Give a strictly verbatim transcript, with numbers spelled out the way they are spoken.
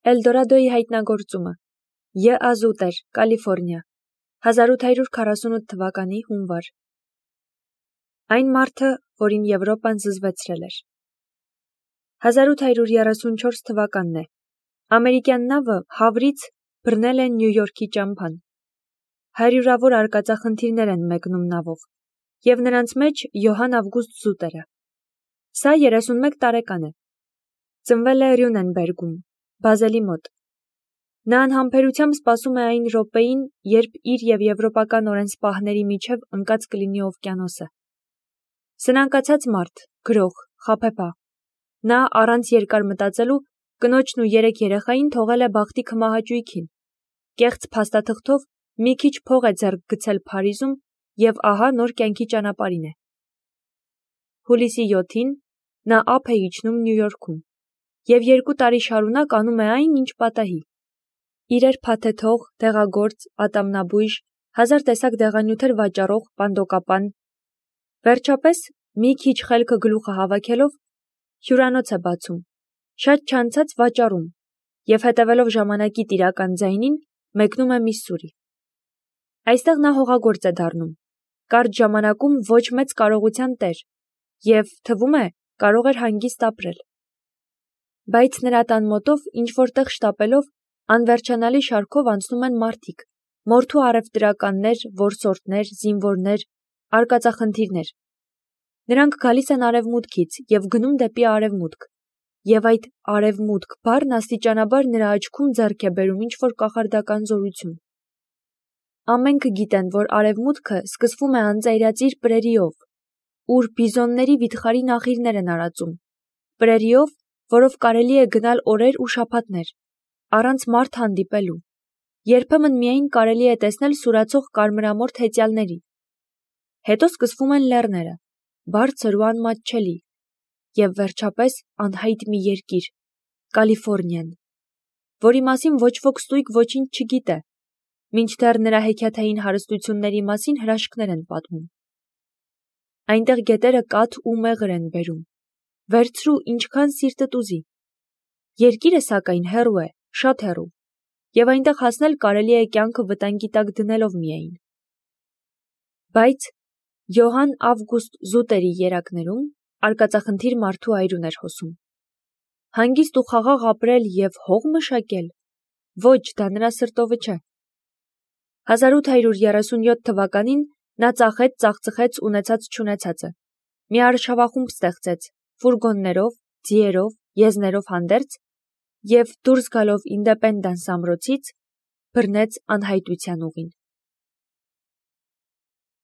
Էլդորադոյի հայտնագործումը Յ. Ազուտեր, Կալիֆորնիա, հազար ութ հարյուր քառասունութ թվականի հունվար։ Այն մարդը, որին Եվրոպան զզվեցրել էր։ հազար ութ հարյուր երեսունչորս թվականն է։ Ամերիկյան նավը Հավրից բռնել է Նյու Յորքի ճամփան։ Հարյուրավոր արկածախնդիրներ են մեկնում նավով, և նրանց մեջ Յոհան Ավգուստ Զուտերը։ Սա երեսունմեկ տարեկան է։ Ծնվել է Ռյունենբերգում, Բազելի մոտ։ Նա անհամբերությամբ սպասում է այն րոպեին, երբ իր և եվրոպական օրենսպահների միջև ընկած կլինի օվկիանոսը։ Սնանկացած մարդ, գրող, խաբեբա։ Նա առանց երկար մտածելու կնոջն ու երեք երեխային թողել է բախտի քմահաճույքին։ Կեղծ փաստաթղթով մի քիչ փող է ձեռք գցել Փարիզում և ահա նոր կյանքի ճանապարհին է։ Հուլիսի յոթին նա ափ է իջնում Նյու Յորքում և երկու տարի շարունակ անում է այն, ինչ պատահի։ Իրեր փաթեթող, դեղագործ, ատամնաբույժ, հազար տեսակ դեղանյութեր վաճառող պանդոկապան։ Վերջապես, մի քիչ խելքը գլուխը հավաքելով, հյուրանոց է բացում, շատ չանցած վաճառում և հետևելով ժամանակի տիրական ձայնին, մեկնում է Միսսուրի։ Այստեղ նա հողագործ է դառնում, կարճ ժամանակում ոչ մեծ կարողության տեր և, թվում է, կարող էր հանգիստ ապրել։ Բայց նրա տան մոտով ինչ-որ տեղ շտապելով, անվերջանալի շարքով անցնում են մարդիկ, մորթու առևտրականներ, որսորդներ, զինվորներ, արկածախնդիրներ։ Նրանք գալիս են արևմուտքից և գնում դեպի արևմուտք, և այդ «արևմուտք» բառն աստիճանաբար նրա աչքում ձեռք է բերում ինչ-որ կախարդական զորություն։ Ամենք գիտեն, որ արևմուտքը սկսվում է անծայրածիր պրերիով, ուր բիզոնների վիթխարի նախիրներ են արածում, պրերիով, որով կարելի է գնալ օրեր ու շաբաթներ, առանց մարդ հանդիպելու, երբեմն միայն կարելի է տեսնել սուրացող կարմրամորթ հեծյալների։ Հետո սկսվում են լեռները, բարձր ու անմատչելի, և վերջապես անհայտ մի երկիր՝ Կալիֆորնիան, որի մասին ոչ ոք ստույգ ոչինչ չգիտե, մինչդեռ նրա հեքիաթային հարստությունների մասին հրաշքներ են պատմում։ Այնտեղ գետերը կաթ ու մեղր են բերում, վերցրու ինչքան սիրտդ ուզի։ Երկիրը, սակայն, հեռու է, շատ հեռու, և այնտեղ հասնել կարելի է կյանքը վտանգի տակ դնելով միայն։ Բայց Յոհան Ավգուստ Զուտերի երակներում արկածախնդիր մարդու այրուն էր հոսում։ Հանգիստ ու խաղաղ ապրել և հող մշակել, ոչ, դա նրա սրտովը չէ։ հազար ութ հարյուր երեսունյոթ թվականին նա ծախեց, ծախծխեց ունեցած-չունեցածը, մի արշավախումբ ստեղծեց, ֆուրգոններով, ձիերով, եզներով հանդերձ, և դուրս գալով Ինդեպենդանս ամրոցից, բռնեց անհայտության ուղին։